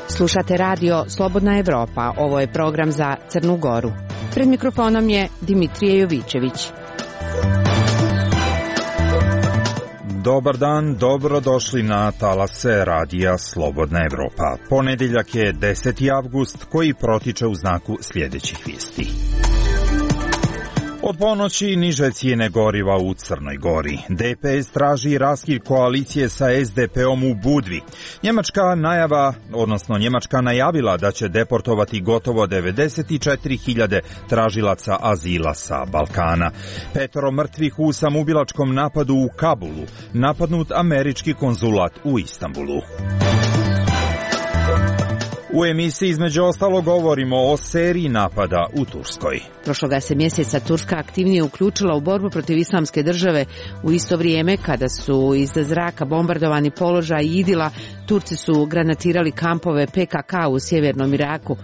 Slušate radio Slobodna Evropa. Ovo je program za Crnu Goru. Pred mikrofonom je Dimitrije Jovićević. Dobar dan, dobrodošli na talase radija Slobodna Evropa. Ponedeljak je 10. avgust koji protiče u znaku sljedećih vijesti. Od ponoći niže cijene goriva u Crnoj Gori. DPS traži raskid koalicije sa SDP-om u Budvi. Njemačka najavila da će deportovati gotovo 94.000 tražilaca azila sa Balkana. 5 mrtvih u samoubilačkom napadu u Kabulu. Napadnut američki konzulat u Istanbulu. U emisiji između ostalo govorimo o seriji napada u Turskoj. Prošloga se mjeseca Turska aktivnije uključila u borbu protiv Islamske države. U isto vrijeme kada su iz zraka bombardovani položaj Idila, Turci su granatirali kampove PKK u sjevernom Iraku.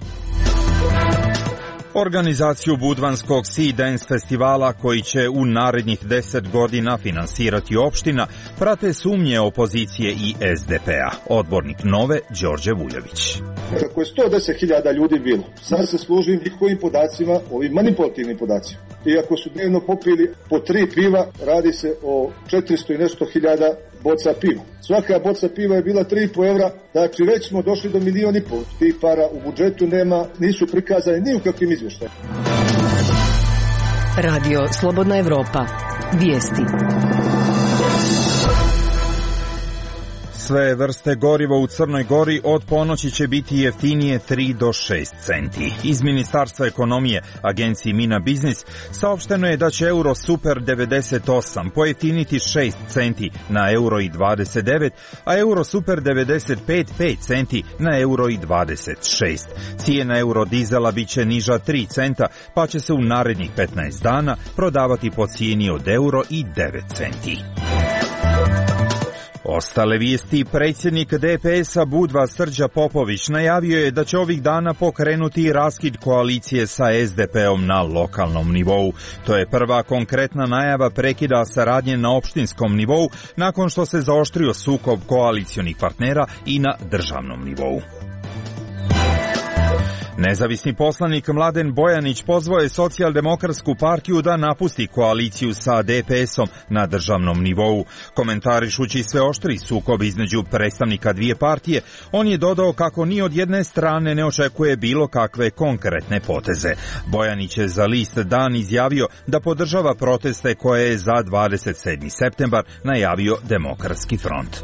Organizaciju budvanskog Sea Dance festivala koji će u narednih 10 godina finansirati opština prate sumnje opozicije i SDP-a. Odbornik Nove, Đorđe Vujović. Kako je 110.000 ljudi bilo, sad se služi njihovim podacima, ovim manipulativnim podacima. I ako su dnevno popili po 3 piva, radi se o 400 i nešto hiljada boca piva. Svaka boca piva je bila 3,5 evra, znači već smo došli do 1,5 miliona. Tih para u budžetu nema, nisu prikazane ni u kakvim izvještajima. Radio Slobodna Evropa. Vijesti. Sve vrste goriva u Crnoj Gori od ponoći će biti jeftinije 3 do 6 centi. Iz Ministarstva ekonomije, agenciji Mina Biznis, saopšteno je da će euro super 98 pojeftiniti 6 centi na euro i 29, a euro super 95 5 centi na euro i 26. Cijena euro dizela bit će niža 3 centa, pa će se u narednih 15 dana prodavati po cijeni od euro i 9 centi. Ostale vijesti. Predsjednik DPS-a Budva Srđa Popović najavio je da će ovih dana pokrenuti raskid koalicije sa SDP-om na lokalnom nivou. To je prva konkretna najava prekida saradnje na opštinskom nivou nakon što se zaoštrio sukob koalicionih partnera i na državnom nivou. Nezavisni poslanik Mladen Bojanić pozvao je Socijaldemokratsku partiju da napusti koaliciju sa DPS-om na državnom nivou. Komentarišući sve oštri sukob između predstavnika dvije partije, on je dodao kako ni od jedne strane ne očekuje bilo kakve konkretne poteze. Bojanić je za list Dan izjavio da podržava proteste koje je za 27. septembar najavio Demokratski front.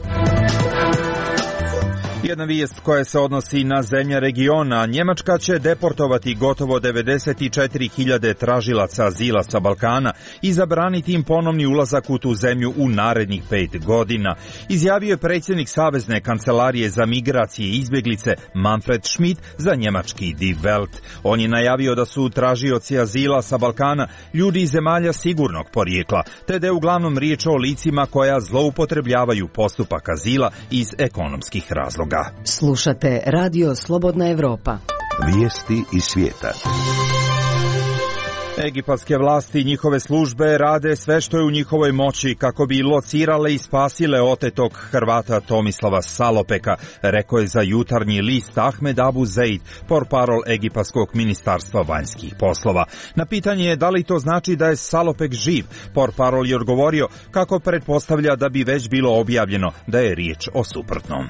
Jedna vijest koja se odnosi na zemlje regiona. Njemačka će deportovati gotovo 94.000 tražilaca azila sa Balkana i zabraniti im ponovni ulazak u tu zemlju u narednih 5 godina. Izjavio je predsjednik Savezne kancelarije za migracije i izbjeglice Manfred Schmidt za njemački Die Welt. On je najavio da su tražioci azila sa Balkana ljudi iz zemalja sigurnog porijekla, te da je uglavnom riječ o licima koja zloupotrebljavaju postupak azila iz ekonomskih razloga. Slušate Radio Slobodna Evropa. Vijesti iz svijeta. Egipatske vlasti i njihove službe rade sve što je u njihovoj moći kako bi locirale i spasile otetog Hrvata Tomislava Salopeka, rekao je za Jutarnji list Ahmed Abu Zeid, portparol Egipatskog ministarstva vanjskih poslova. Na pitanje je da li to znači da je Salopek živ, portparol je odgovorio kako pretpostavlja da bi već bilo objavljeno da je riječ o suprotnom.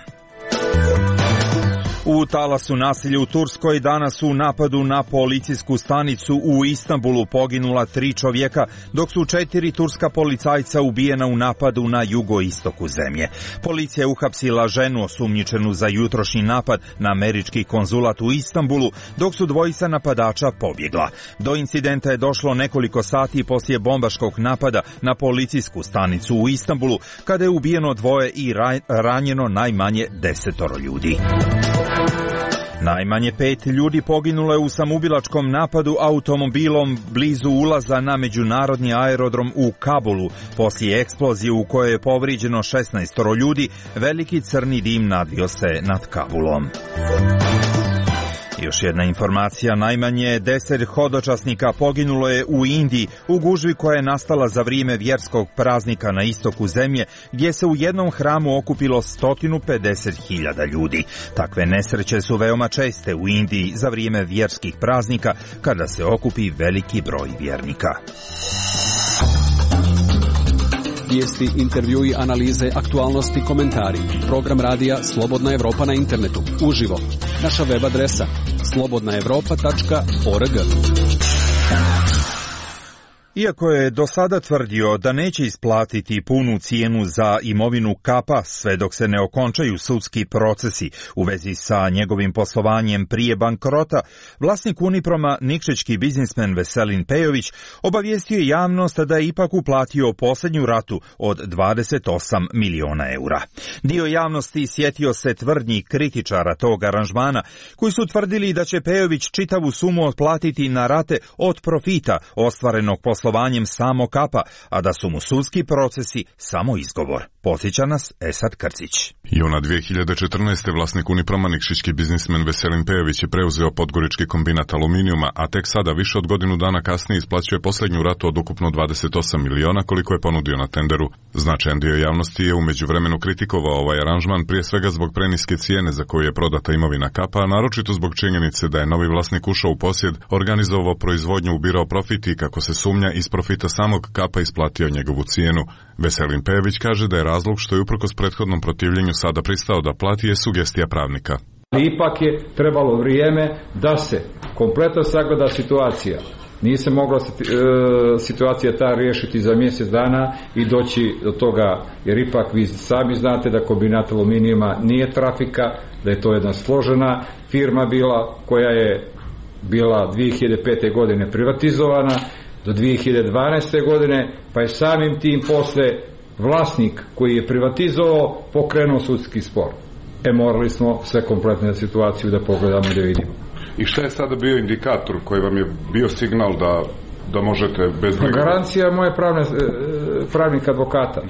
U talasu nasilja u Turskoj danas u napadu na policijsku stanicu u Istanbulu poginula 3 čovjeka, dok su 4 turska policajca ubijena u napadu na jugoistoku zemlje. Policija je uhapsila ženu osumnjičenu za jutrošnji napad na američki konzulat u Istanbulu, dok su dvojica napadača pobjegla. Do incidenta je došlo nekoliko sati poslije bombaškog napada na policijsku stanicu u Istanbulu, kada je ubijeno 2 i ranjeno najmanje 10 ljudi. Najmanje 5 ljudi poginulo je u samoubilačkom napadu automobilom blizu ulaza na međunarodni aerodrom u Kabulu. Poslije eksplozije u kojoj je povrijeđeno 16 ljudi, veliki crni dim nadvio se nad Kabulom. Još jedna informacija, najmanje 10 hodočasnika poginulo je u Indiji u gužvi koja je nastala za vrijeme vjerskog praznika na istoku zemlje, gdje se u jednom hramu okupilo 150.000 ljudi. Takve nesreće su veoma česte u Indiji za vrijeme vjerskih praznika, kada se okupi veliki broj vjernika. Vijesti, intervjui, analize, aktualnosti, komentari. Program radija Slobodna Evropa na internetu. Uživo. Naša web adresa slobodnaevropa.org. Iako je do sada tvrdio da neće isplatiti punu cijenu za imovinu Kapa sve dok se ne okončaju sudski procesi u vezi sa njegovim poslovanjem prije bankrota, vlasnik Uniproma, nikšićki biznismen Veselin Pejović, obavijestio je javnost da je ipak uplatio posljednju ratu od 28 miliona eura. Dio javnosti sjetio se tvrdnji kritičara tog aranžmana, koji su tvrdili da će Pejović čitavu sumu otplatiti na rate od profita ostvarenog poslovanjem samo Kapa, a da su mu sudski procesi samo izgovor. Podsjeća nas Esad Krcić. Juna 2014. vlasnik Uniproma, nikšićki biznismen Veselin Pejović je preuzeo podgorički kombinat aluminijuma, a tek sada, više od godinu dana kasnije, isplaćuje posljednju ratu od ukupno 28 miliona koliko je ponudio na tenderu. Značajan dio javnosti je u međuvremenu kritikovao ovaj aranžman, prije svega zbog preniske cijene za koju je prodata imovina Kapa, a naročito zbog činjenice da je novi vlasnik ušao u posjed, organizovao proizvodnju, ubirao profit i, kako se sumnja, iz profita samog Kapa isplatio njegovu cijenu. Veselin Pejović kaže da je razlog što je uprkos prethodnom protivljenju sada pristao da plati je sugestija pravnika. Ipak je trebalo vrijeme da se kompletno sagleda situacija. Nije se mogla situacija ta riješiti za mjesec dana i doći do toga, jer ipak vi sami znate da kombinat aluminijuma nije trafika, da je to jedna složena firma bila koja je bila 2005. godine privatizovana do 2012. godine, pa je samim tim posle vlasnik koji je privatizovao pokrenuo sudski spor. Morali smo sve kompletne situaciju da pogledamo i da vidimo. I šta je sada bio indikator koji vam je bio signal da možete bez briga? Garancija moje pravnik advokata.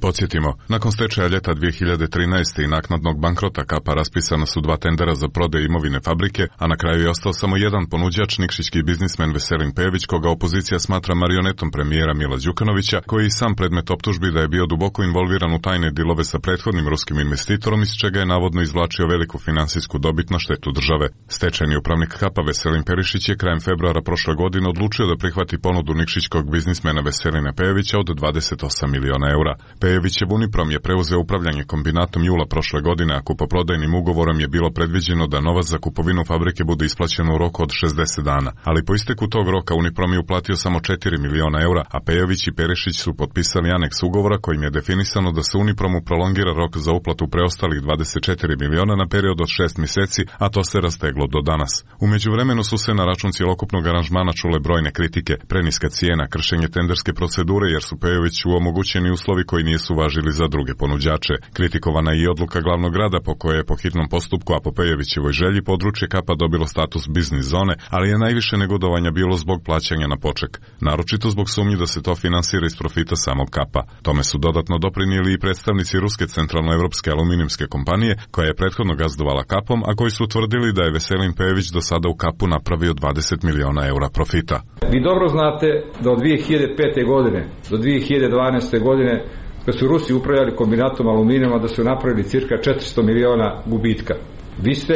Podsjetimo, nakon stečaja ljeta 2013. i naknadnog bankrota Kapa raspisana su 2 tendera za prodaju imovine fabrike, a na kraju je ostao samo jedan ponuđač, nikšićki biznismen Veselin Pejović, koga opozicija smatra marionetom premijera Mila Đukanovića, koji i sam predmet optužbi da je bio duboko involviran u tajne dilove sa prethodnim ruskim investitorom, iz čega je navodno izvlačio veliku finansijsku dobit na štetu države. Stečajni upravnik Kapa Veselin Perišić je krajem februara prošle godine odlučio da prihvati ponudu nikšićkog biznismena Veselina Pejovića od 28 miliona eura. Pejovićev Uniprom je preuzeo upravljanje kombinatom jula prošle godine, a kupoprodajnim ugovorom je bilo predviđeno da novac za kupovinu fabrike bude isplaćen u roku od 60 dana, ali po isteku tog roka Uniprom je uplatio samo 4 miliona eura, a Pejović i Perišić su potpisali aneks ugovora kojim je definisano da se Unipromu prolongira rok za uplatu preostalih 24 miliona na period od 6 mjeseci, a to se rasteglo do danas. U međuvremenu su se na račun cjelokupnog aranžmana čule brojne kritike, preniska cijena, kršenje tenderske procedure jer su Pejoviću omogućeni uslovi koji nisu važili za druge ponuđače. Kritikovana je i odluka glavnog grada po kojoj je po hitnom postupku, a po Pejovićevoj želji, područje Kapa dobilo status biznis zone, ali je najviše negodovanja bilo zbog plaćanja na poček, naročito zbog sumnji da se to finansira iz profita samog Kapa. Tome su dodatno doprinijeli i predstavnici ruske centralnoevropske aluminijumske kompanije, koja je prethodno gazdovala Kapom, a koji su tvrdili da je Veselin Pejović do sada u Kapu napravio 20 miliona eura profita. Vi dobro znate da od 2005. godine do 2012. godine kad su Rusi upravljali kombinatom aluminijuma, da su napravili cirka 400 miliona gubitka. Vi ste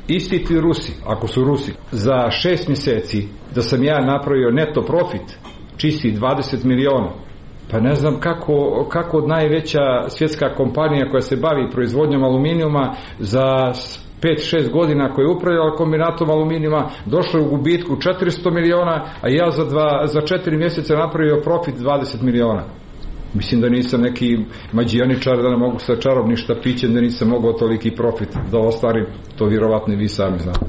isti ti Rusi, ako su Rusi, za 6 mjeseci da sam ja napravio neto profit čisti 20 miliona. Pa ne znam kako od najveća svjetska kompanija koja se bavi proizvodnjom aluminijuma za 5-6 godina koja je upravljala kombinatom aluminijuma došla u gubitku 400 miliona, a ja za 4 mjeseca napravio profit 20 miliona. Mislim da nisam neki mađijaničar, da ne mogu sa čarobnim štapićem, da nisam mogao toliki profit da ostvarim, to vjerovatno i vi sami znate.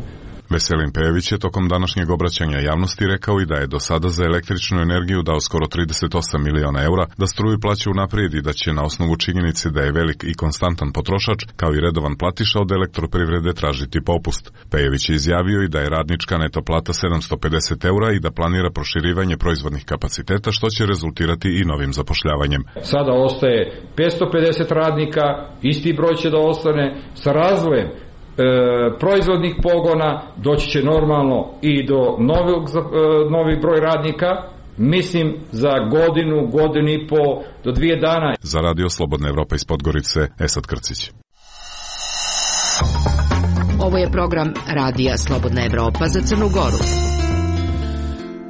Veselin Pejović je tokom današnjeg obraćanja javnosti rekao i da je do sada za električnu energiju dao skoro 38 miliona eura, da struju plaća unaprijed i da će na osnovu činjenice da je velik i konstantan potrošač, kao i redovan platiša, od elektroprivrede tražiti popust. Pejović je izjavio i da je radnička neto plata 750 eura i da planira proširivanje proizvodnih kapaciteta, što će rezultirati i novim zapošljavanjem. Sada ostaje 550 radnika, isti broj će da ostane sa razvojem proizvodnih pogona, doći će normalno i do novih broj radnika, mislim za godinu i po do 2 dana. Za Radio Slobodna Evropa iz Podgorice, Esad Krcić. Ovo je program Radija Slobodna Evropa za Crnu Goru.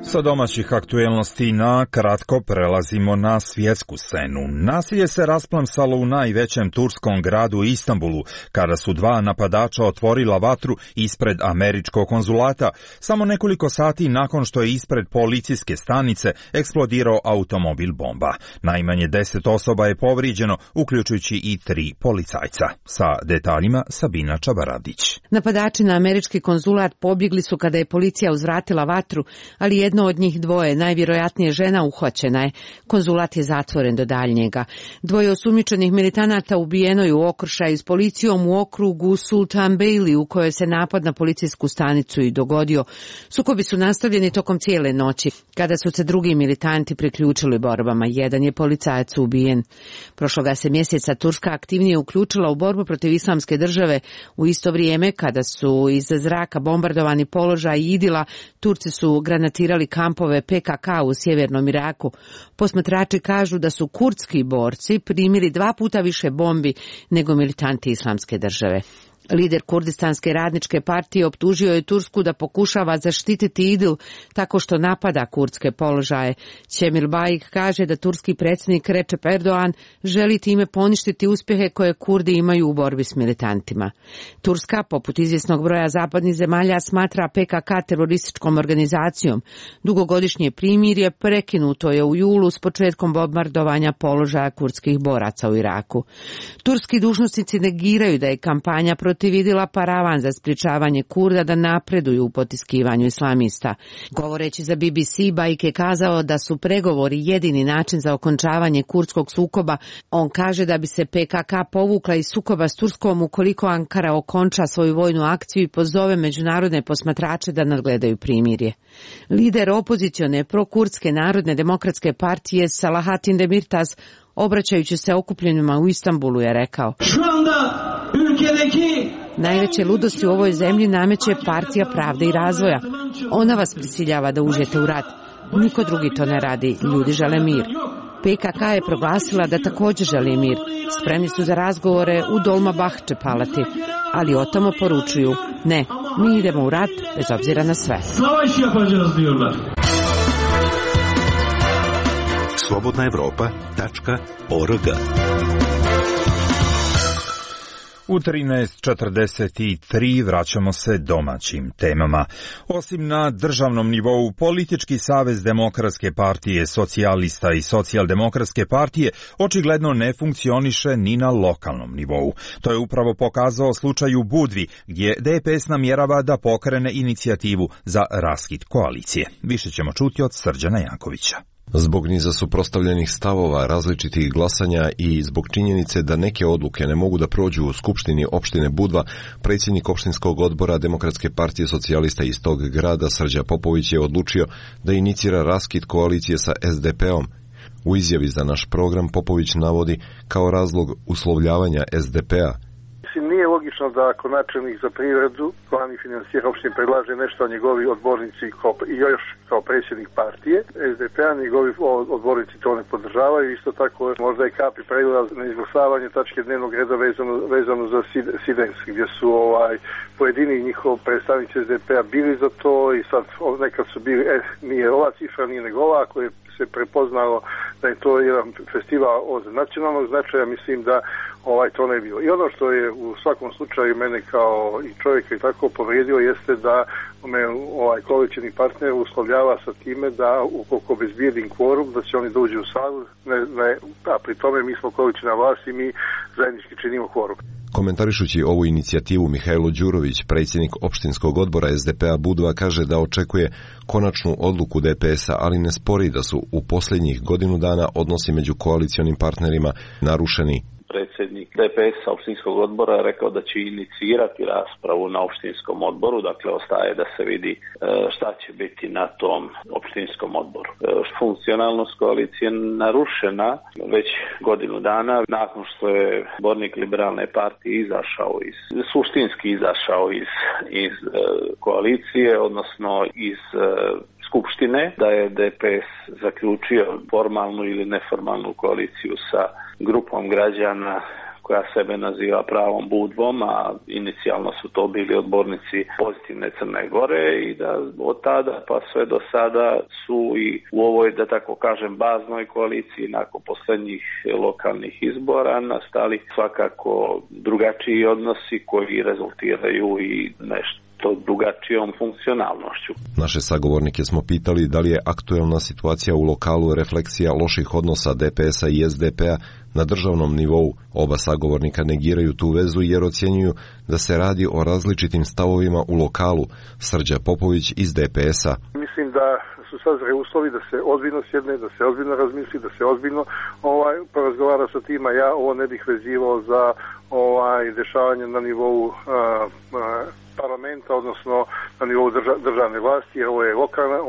Sa domaćih aktuelnosti na kratko prelazimo na svjetsku scenu. Nasilje se rasplamsalo u najvećem turskom gradu Istanbulu, kada su 2 napadača otvorila vatru ispred američkog konzulata, samo nekoliko sati nakon što je ispred policijske stanice eksplodirao automobil bomba. Najmanje 10 osoba je povrijeđeno, uključujući i 3 policajca. Sa detaljima Sabina Čabaradić. Napadači na američki konzulat pobjegli su kada je policija uzvratila vatru, ali jedno od njih 2, najvjerojatnije žena, uhvaćena je. Konzulat je zatvoren do daljnjega. 2 osumnjičenih militanata ubijeno je u okršaju s policijom u okrugu Sultan Beyli, u kojoj se napad na policijsku stanicu i dogodio. Sukobi su nastavljeni tokom cijele noći, kada su se drugi militanti priključili borbama. Jedan je policajac ubijen. Prošloga se mjeseca Turska aktivnije uključila u borbu protiv Islamske države. U isto vrijeme, kada su iz zraka bombardovani položaj Idila, Turci su granatirali kampove PKK u sjevernom Iraku. Posmatrači kažu da su kurdski borci primili 2 puta više bombi nego militanti Islamske države. Lider Kurdistanske radničke partije optužio je Tursku da pokušava zaštititi Idil tako što napada kurdske položaje. Cemil Bayik kaže da turski predsjednik Recep Erdogan želi time poništiti uspjehe koje Kurdi imaju u borbi s militantima. Turska, poput izvjesnog broja zapadnih zemalja, smatra PKK terorističkom organizacijom. Dugogodišnje primirje prekinuto je u julu s početkom bombardovanja položaja kurdskih boraca u Iraku. Turski dužnosnici negiraju da je kampanja protiv Idila paravan za sprječavanje Kurda da napreduju u potiskivanju islamista. Govoreći za BBC, Bayik je kazao da su pregovori jedini način za okončavanje kurdskog sukoba. On kaže da bi se PKK povukla iz sukoba s Turskom ukoliko Ankara okonča svoju vojnu akciju i pozove međunarodne posmatrače da nadgledaju primirje. Lider opozicione prokurdske Narodne demokratske partije Salahatin Demirtas, obraćajući se okupljenima u Istanbulu, je rekao: najveće ludosti u ovoj zemlji nameće Partija pravde i razvoja. Ona vas prisiljava da uđete u rat. Niko drugi to ne radi. Ljudi žele mir. PKK je proglasila da također želi mir. Spremni su za razgovore u Dolmabahče palati, ali otamo poručuju: ne, mi idemo u rat bez obzira na sve. slobodnaevropa.org. U 13:43 vraćamo se domaćim temama. Osim na državnom nivou, Politički savez Demokratske partije socijalista i Socijaldemokratske partije očigledno ne funkcioniše ni na lokalnom nivou. To je upravo pokazao slučaj u Budvi, gdje DPS namjerava da pokrene inicijativu za raskid koalicije. Više ćemo čuti od Srđana Jankovića. Zbog niza suprotstavljenih stavova, različitih glasanja i zbog činjenice da neke odluke ne mogu da prođu u Skupštini opštine Budva, predsjednik opštinskog odbora Demokratske partije socijalista iz tog grada Srđa Popović je odlučio da inicira raskid koalicije sa SDP-om. U izjavi za naš program Popović navodi kao razlog uslovljavanja SDP-a: nije logično da ako načelnik za privredu, plan i finansira opštine predlaže nešto, a njegovi odbornici i još kao predsjednik partije SDP-a, njegovi odbornici to ne podržavaju. Isto tako možda i kapi pregledal na izglasavanje tačke dnevnog reda vezano za Sidens, gdje su pojedini njihov predstavnici SDP-a bili za to i sad nekad su bili, nije ova cifra, nije nego ova, ako je se prepoznalo da je to jedan festival od nacionalnog značaja, mislim da to ne je bilo. I ono što je u svakom slučaju mene kao i čovjeka i tako povrijedio jeste da me koalicioni partner uslovljava sa time da ukoliko obezbijedim kvorum da će oni dođu u salu, a pri tome mi smo koaliciona vlast i mi zajednički činimo kvorum. Komentarišući ovu inicijativu, Mihajlo Đurović, predsjednik opštinskog odbora SDP-a Budva, kaže da očekuje konačnu odluku DPS-a, ali ne spori da su u posljednjih godinu dana odnosi među koalicionim partnerima narušeni. predsjednik DPS-a opštinskog odbora je rekao da će inicirati raspravu na opštinskom odboru, dakle ostaje da se vidi šta će biti na tom opštinskom odboru. Funkcionalnost koalicije narušena već godinu dana nakon što je odbornik Liberalne partije suštinski izašao iz koalicije, odnosno iz Skupštine, da je DPS zaključio formalnu ili neformalnu koaliciju sa grupom građana koja sebe naziva pravom Budvom, a inicijalno su to bili odbornici Pozitivne Crne Gore, i da od tada pa sve do sada su i u ovoj, da tako kažem, baznoj koaliciji nakon posljednjih lokalnih izbora nastali svakako drugačiji odnosi koji rezultiraju i nešto drugačijom funkcionalnošću. Naše sagovornike smo pitali da li je aktuelna situacija u lokalu refleksija loših odnosa DPS-a i SDP-a na državnom nivou. Oba sagovornika negiraju tu vezu jer ocjenjuju da se radi o različitim stavovima u lokalu. Srđa Popović iz DPS-a. Mislim da su sazreli uslovi da se ozbiljno sjedne, da se ozbiljno razmisli, da se ozbiljno porazgovara sa tima. Ja ovo ne bih vezivao za dešavanje na nivou parlamenta, odnosno na nivou državne vlasti, jer ovo je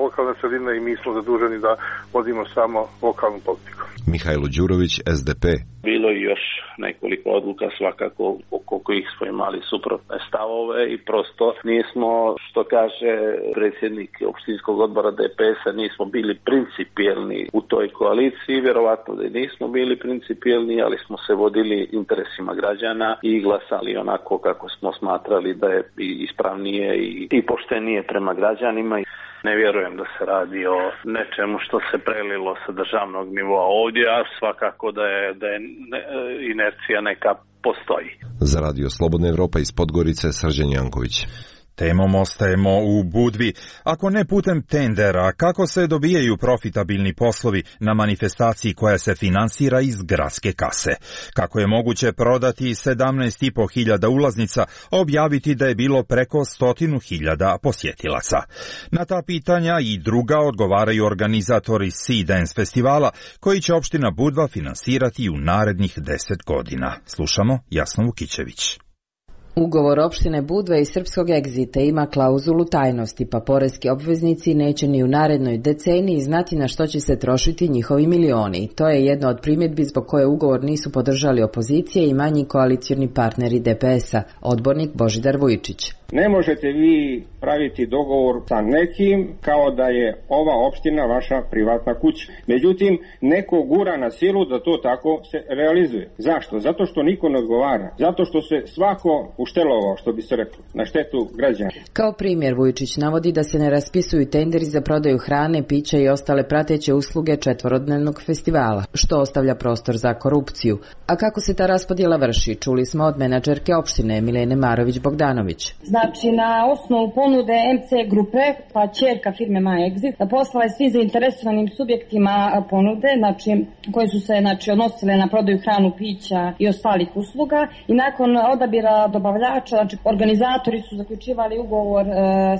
lokalna sredina i mi smo zaduženi da vodimo samo lokalnu politiku. Mihajlo Đurović, SDP. Bilo i još nekoliko odluka svakako oko kojih smo imali suprotne stavove i prosto nismo, što kaže predsjednik opštinskog odbora DPS-a, nismo bili principijelni u toj koaliciji, vjerovatno da nismo bili principijelni, ali smo se vodili interesima građana i glasali onako kako smo smatrali da je ispravnije i poštenije prema građanima. Ne vjerujem da se radi o nečemu što se prelilo sa državnog nivoa ovdje, a svakako da je inercija neka postoji. Za Radio Slobodna Evropa iz Podgorice, Srđan Janković. Temom ostajemo u Budvi. Ako ne putem tendera, kako se dobijaju profitabilni poslovi na manifestaciji koja se finansira iz gradske kase? Kako je moguće prodati 17.500 ulaznica, a objaviti da je bilo preko 100.000 posjetilaca? Na ta pitanja i druga odgovaraju organizatori Sea Dance festivala, koji će opština Budva finansirati u narednih 10 godina. Slušamo Jasnu Vukićević. Ugovor opštine Budva i Srpskog Egzita ima klauzulu tajnosti, pa poreski obveznici neće ni u narednoj deceniji znati na što će se trošiti njihovi milioni. To je jedna od primjedbi zbog koje ugovor nisu podržali opozicije i manji koalicioni partneri DPS-a, odbornik Božidar Vujčić. Ne možete vi praviti dogovor sa nekim kao da je ova opština vaša privatna kuća. Međutim, neko gura na silu da to tako se realizuje. Zašto? Zato što niko ne odgovara. Zato što se svako uštelovao, što bi se reklo, na štetu građana. Kao primjer Vujčić navodi da se ne raspisuju tenderi za prodaju hrane, pića i ostale prateće usluge četvorodnevnog festivala, što ostavlja prostor za korupciju. A kako se ta raspodjela vrši, čuli smo od menadžerke opštine Milene Marović-Bogdanović. Znači, na osnovu ponude MC grupe, pa ćerka firme MyExit, poslala je svi zainteresovanim subjektima ponude, znači, koje su se odnosile na prodaju hranu, pića i ostalih usluga, i nakon odabira dobavljača, znači, organizatori su zaključivali ugovor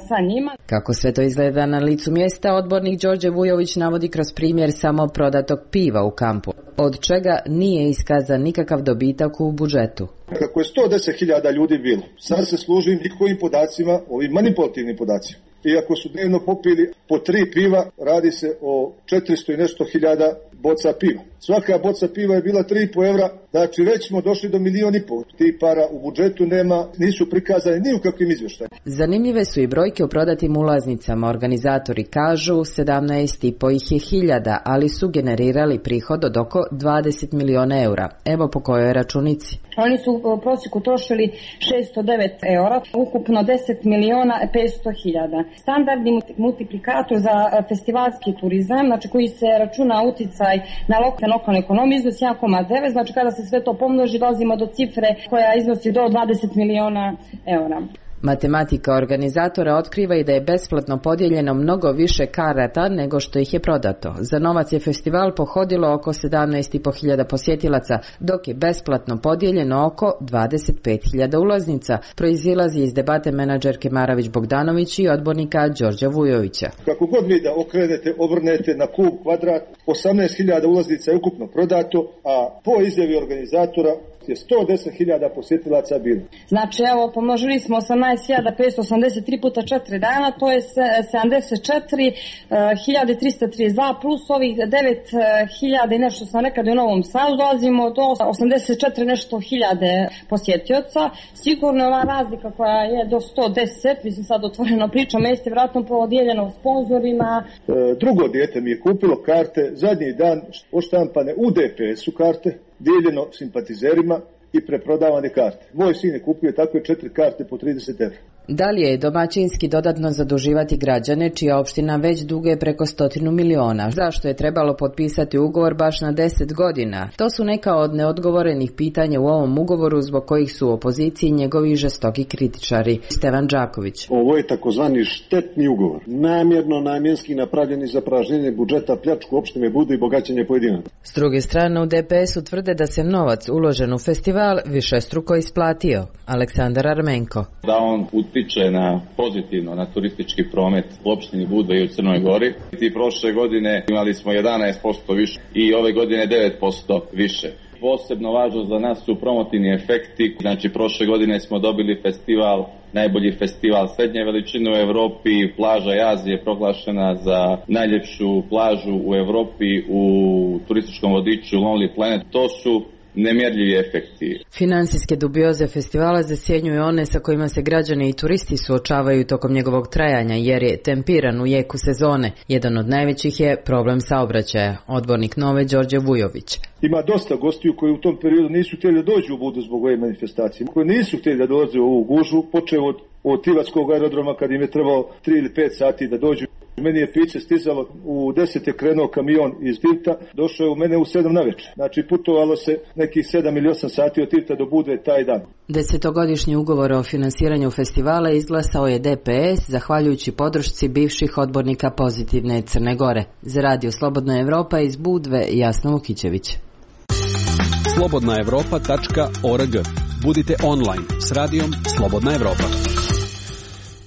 sa njima. Kako sve to izgleda na licu mjesta, odbornik Đorđe Vujović navodi kroz primjer samo prodatog piva u kampu, od čega nije iskazan nikakav dobitak u budžetu. Kako je 110.000 ljudi bilo, sad se služi njihovim podacima, ovim manipulativnim podacima. I ako su dnevno popili po 3 piva, radi se o 400 i nešto hiljada boca piva. Svaka boca piva je bila 3,5 evra, znači već smo došli do 1,5 miliona. Ti para u budžetu nema, nisu prikazane ni u kakvim izvještajima. Zanimljive su i brojke o prodatim ulaznicama. Organizatori kažu 17.500, ali su generirali prihod od oko 20 miliona eura. Evo po kojoj računici. Oni su u prosjeku trošili 609 eura, ukupno 10.500.000. Standardni multiplikator za festivalski turizam, znači koji se računa uticaj na lokalnu ekonomiju, iznosi 1,9, znači kada se sve to pomnoži dolazimo do cifre koja iznosi do 20 miliona eura. Matematika organizatora otkriva i da je besplatno podijeljeno mnogo više karata nego što ih je prodato. Za novac je festival pohodilo oko 17.500 posjetilaca, dok je besplatno podijeljeno oko 25.000 ulaznica, proizilazi iz debate menadžerke Maravić Bogdanović i odbornika Đorđa Vujovića. Kako god vi da okrenete, obrnete na kub, kvadrat, 18.000 ulaznica je ukupno prodato, a po izjavi organizatora je 110.000 posjetilaca bilo. Znači, evo, pomnožili smo 18.583 puta 4 dana, to je 74.332 plus ovih 9.000 i nešto sam nekada u Novom Sadu, dolazimo do 84 nešto hiljade posjetioca. Sigurno ova razlika koja je do 110, mislim sad otvoreno pričam, jeste vratno podijeljeno sponzorima. Drugo dijete mi je kupilo karte, zadnji dan poštampane u DPS-u karte, dijeljeno simpatizerima i preprodavane karte. Moj sin je kupio takve 4 karte po 30 €. Da li je domaćinski dodatno zaduživati građane čija opština već duguje preko 100 miliona? Zašto je trebalo potpisati ugovor baš na 10 godina? To su neka od neodgovorenih pitanja u ovom ugovoru zbog kojih su u opoziciji njegovi žestoki kritičari. Stevan Đaković. Ovo je takozvani štetni ugovor. Namjenski napravljeni za pražnjenje budžeta, pljačku opštine Budva i bogaćenje pojedinaca. S druge strane u DPS-u tvrde da se novac uložen u festival višestruko isplatio. Aleksandar Armenko. Da on utiče pozitivno na turistički promet u opštini Budva i u Crnoj Gori. I prošle godine imali smo 11% više i ove godine 9% više. Posebno važno za nas su promotivni efekti. Znači, prošle godine smo dobili festival, najbolji festival srednje veličine u Evropi. Plaža Jazije je proglašena za najljepšu plažu u Evropi u turističkom vodiču Lonely Planet. To su nemjerljivi efekti. Finansijske dubioze festivala zasjenjuju one sa kojima se građani i turisti suočavaju tokom njegovog trajanja, jer je tempiran u jeku sezone. Jedan od najvećih je problem saobraćaja. Odbornik Nove Đorđe Vujović. Ima dosta gostiju koji u tom periodu nisu htjeli da dođu u Budvu zbog ove manifestacije, koji nisu htjeli da dođu u ovu gužvu, počeo od Tivatskog aerodroma kad im je trebalo 3 ili 5 sati da dođu. Meni je piće stizalo, u 10 je krenuo kamion iz Tivta, došao je u mene u 7 navečer. Znači putovalo se nekih 7 ili 8 sati od Tivta do Budve taj dan. 10-godišnji ugovor o finansiranju festivala izglasao je DPS zahvaljujući podršci bivših odbornika Pozitivne Crne Gore. Za Radio Slobodna Evropa iz Budve, Jasna Vukićević. slobodnaevropa.org. Budite online s radijom Slobodna Evropa.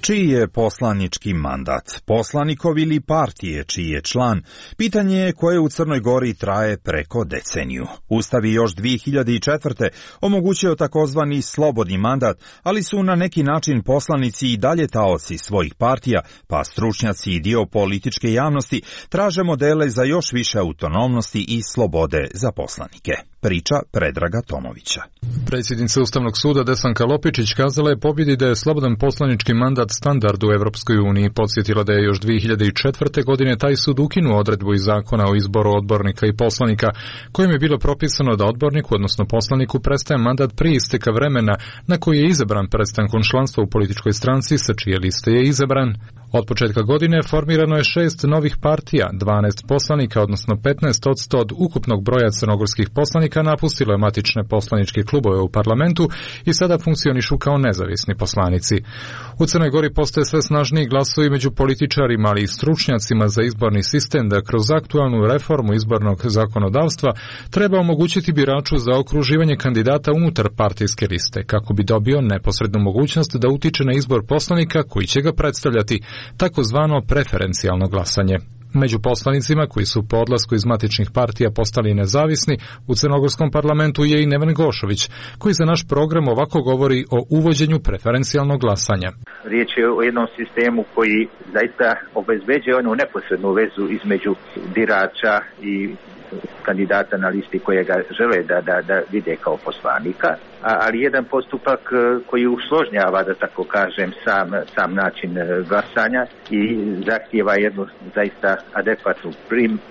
Čiji je poslanički mandat? Poslanikov ili partije čiji je član? Pitanje je koje u Crnoj Gori traje preko deceniju. Ustav je još 2004. omogućio takozvani slobodni mandat, ali su na neki način poslanici i dalje taoci svojih partija, pa stručnjaci i dio političke javnosti traže modele za još više autonomnosti i slobode za poslanike. Priča Predraga Tomovića. Predsjednica Ustavnog suda Desanka Lopičić kazala je pobjedi da je slobodan poslanički mandat standard u Evropskoj uniji. Podsjetila da je još 2004. godine taj sud ukinuo odredbu iz zakona o izboru odbornika i poslanika, kojim je bilo propisano da odborniku, odnosno poslaniku, prestaje mandat prije isteka vremena na koji je izabran prestankom članstva u političkoj stranci sa čije liste je izabran. Od početka godine formirano je 6 novih partija, 12 poslanika, odnosno 15% od ukupnog broja crnogorskih poslanika napustilo je matične poslaničke klubove u parlamentu i sada funkcionišu kao nezavisni poslanici. U Crnoj Gori postoje sve snažniji glasovi među političarima, ali i stručnjacima za izborni sistem da kroz aktualnu reformu izbornog zakonodavstva treba omogućiti biraču za okruživanje kandidata unutar partijske liste, kako bi dobio neposrednu mogućnost da utiče na izbor poslanika koji će ga predstavljati, takozvano preferencijalno glasanje. Među poslanicima koji su po odlasku iz matičnih partija postali nezavisni u crnogorskom parlamentu je i Neven Gošović, koji za naš program ovako govori o uvođenju preferencijalnog glasanja. Riječ je o jednom sistemu koji zaista obezbeđuje onu neposrednu vezu između birača i kandidata na listi koje ga žele da vide kao poslanika, ali jedan postupak koji usložnjava, da tako kažem, sam način glasanja i zahtijeva jednu zaista adekvatnu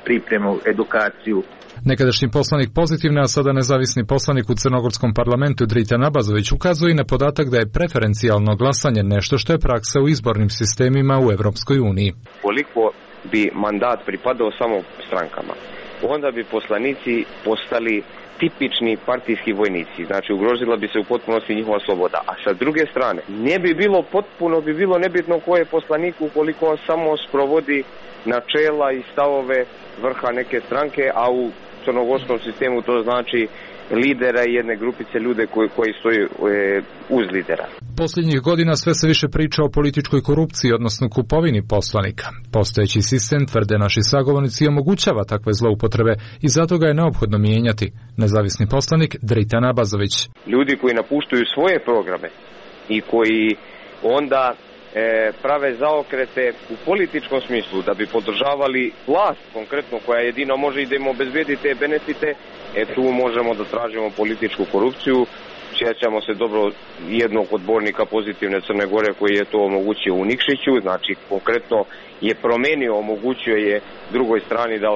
pripremu, edukaciju. Nekadašnji poslanik Pozitivne, a sada nezavisni poslanik u crnogorskom parlamentu Drita Nabazović ukazuje na podatak da je preferencijalno glasanje nešto što je praksa u izbornim sistemima u Evropskoj uniji. Koliko bi mandat pripadao samo strankama, onda bi poslanici postali tipični partijski vojnici. Znači ugrozila bi se u potpunosti njihova sloboda. A sa druge strane, bi bilo nebitno ko je poslanik ukoliko on samo sprovodi načela i stavove vrha neke stranke, a u crnogorskom sistemu to znači lidera i jedne grupice ljude koji stoji uz lidera. Posljednjih godina sve se više priča o političkoj korupciji, odnosno kupovini poslanika. Postojeći sistem, tvrde naši sagovornici, omogućava takve zloupotrebe i zato ga je neophodno mijenjati. Nezavisni poslanik Dritan Abazović. Ljudi koji napuštaju svoje programe i koji onda prave zaokrete u političkom smislu da bi podržavali vlast konkretno koja jedino može i da im obezbedi te benefite, tu možemo da tražimo političku korupciju. Sjećamo se dobro jednog odbornika Pozitivne Crne Gore koji je to omogućio u Nikšiću, znači konkretno je promenio, omogućio je drugoj strani da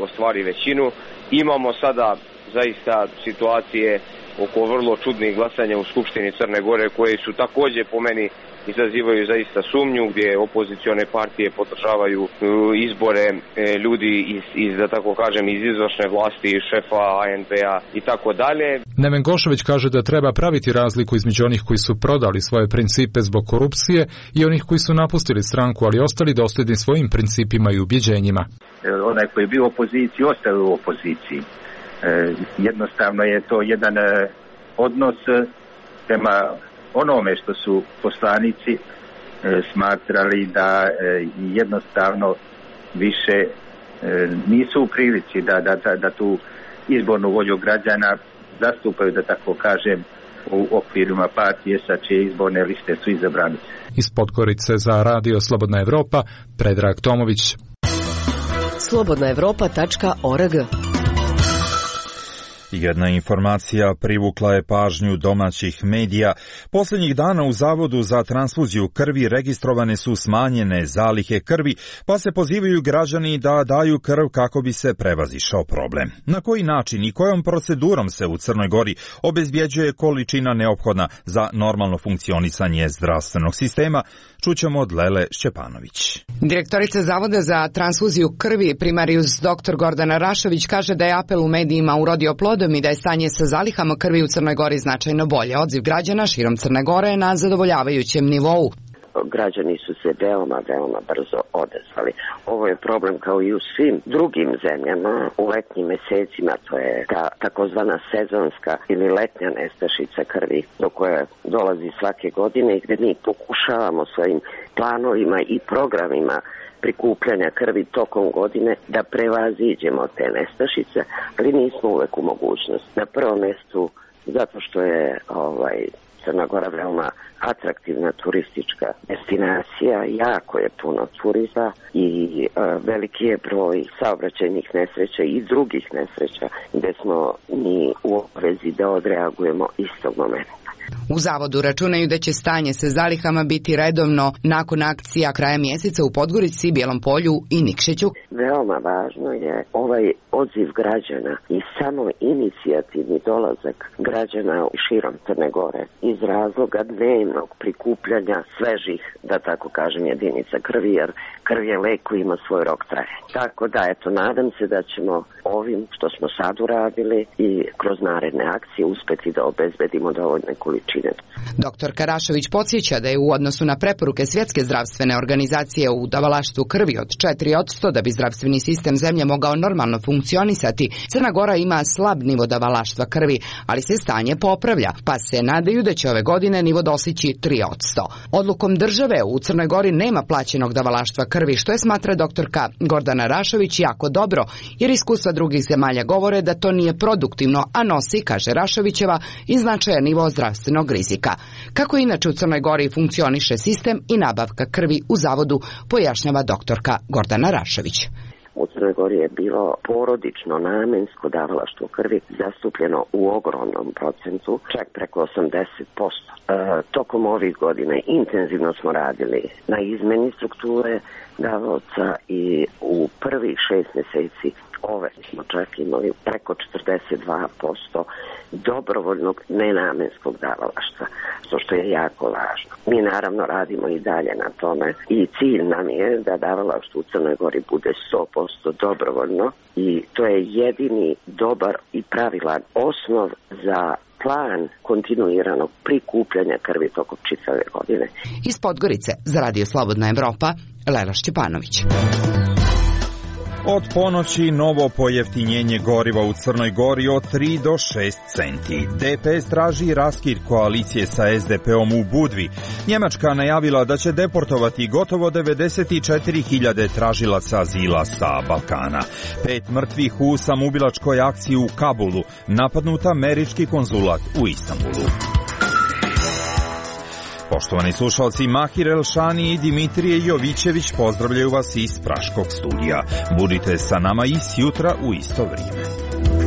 ostvari većinu. Imamo sada zaista situacije oko vrlo čudnih glasanja u Skupštini Crne Gore koje su također po meni izazivaju zaista sumnju, gdje opozicione partije podržavaju izbore ljudi iz da tako kažem iz izvršne vlasti, šefa ANP-a i tako dalje. Neven Gošović kaže da treba praviti razliku između onih koji su prodali svoje principe zbog korupcije i onih koji su napustili stranku, ali ostali dosljedni svojim principima i ubjeđenjima. Onaj koji je bio u opoziciji, ostao u opoziciji. Jednostavno je to jedan odnos prema onome što su poslanici smatrali da jednostavno više nisu u prilici da tu izbornu volju građana zastupaju, da tako kažem, u okvirima partije sa čije izborne liste su izabrani. Iz Podgorice za Radio Slobodna Evropa, Predrag Tomović. slobodnaevropa.org. Jedna informacija privukla je pažnju domaćih medija. Posljednjih dana u Zavodu za transfuziju krvi registrovane su smanjene zalihe krvi, pa se pozivaju građani da daju krv kako bi se prevazišao problem. Na koji način i kojom procedurom se u Crnoj Gori obezbjeđuje količina neophodna za normalno funkcionisanje zdravstvenog sistema, čućemo od Lele Šćepanović. Direktorica Zavoda za transfuziju krvi primarijus dr. Gordana Rašović kaže da je apel u medijima urodio plodom i da je stanje sa zalihama krvi u Crnoj Gori značajno bolje. Odziv građana širom Crne Gore je na zadovoljavajućem nivou. Građani su se veoma brzo odazvali. Ovo je problem kao i u svim drugim zemljama. U letnjim mesecima to je ta takozvana sezonska ili letnja nestašica krvi do koje dolazi svake godine i gdje mi pokušavamo svojim planovima i programima prikupljanja krvi tokom godine da prevaziđemo te nestašice, ali nismo uvek u mogućnosti. Na prvom mjestu zato što je Crna Gora veoma atraktivna turistička destinacija, jako je puno turista i veliki je broj saobraćajnih nesreća i drugih nesreća gdje smo mi u obvezi da odreagujemo istog momenta. U Zavodu računaju da će stanje sa zalihama biti redovno nakon akcija kraja mjeseca u Podgorici, Bijelom Polju i Nikšiću. Veoma važno je ovaj odziv građana i samo inicijativni dolazak građana širom Crne Gore iz razloga dnevnog prikupljanja svežih, da tako kažem, jedinica krvi, jer krv je lek koji ima svoj rok trajanja. Tako da, nadam se da ćemo ovim što smo sad uradili i kroz naredne akcije uspeti da obezbedimo dovoljne količine. Dr. Karašović podsjeća da je u odnosu na preporuke Svjetske zdravstvene organizacije u davalaštvu krvi od 4% da bi zdravstveni sistem zemlje mogao normalno funkcionisati, Crna Gora ima slab nivo davalaštva krvi, ali se stanje popravlja, pa se nadaju da će ove godine nivo dostići 3%. Odlukom države u Crnoj Gori nema plaćenog davalaštva krvi, što je smatra doktorka Gordana Rašović jako dobro, jer iskustva drugih zemalja govore da to nije produktivno, a nosi, kaže Rašovićeva, i značajan nivo zdravstvenog rizika. Kako inače u Crnoj Gori funkcioniše sistem i nabavka krvi u Zavodu, pojašnjava doktorka Gordana Rašović. U Crnoj Gori je bilo porodično namensko davalaštvo krvi zastupljeno u ogromnom procentu, čak preko 80%. Tokom ovih godina intenzivno smo radili na izmeni strukture davaoca i u prvih 6 mjeseci ove smo čak imali preko 42% dobrovoljnog nenamenskog davalaštva, što je jako važno. Mi naravno radimo i dalje na tome i cilj nam je da davalaštvo u Crnoj Gori bude dobrovoljno i to je jedini dobar i pravilan osnov za plan kontinuiranog prikupljanja krvi tokom čitave godine. Iz Podgorice za Radio Slobodna Evropa, Lela Šćepanović. Od ponoći novo pojeftinjenje goriva u Crnoj Gori od 3 do 6 centi. DPS traži raskid koalicije sa SDP-om u Budvi. Njemačka najavila da će deportovati gotovo 94.000 tražilaca azila sa Balkana. 5 mrtvih u samoubilačkoj akciji u Kabulu, napadnut američki konzulat u Istanbulu. Poštovani slušalci, Mahir Elšani i Dimitrije Jovićević pozdravljaju vas iz Praškog studija. Budite sa nama i sjutra u isto vrijeme.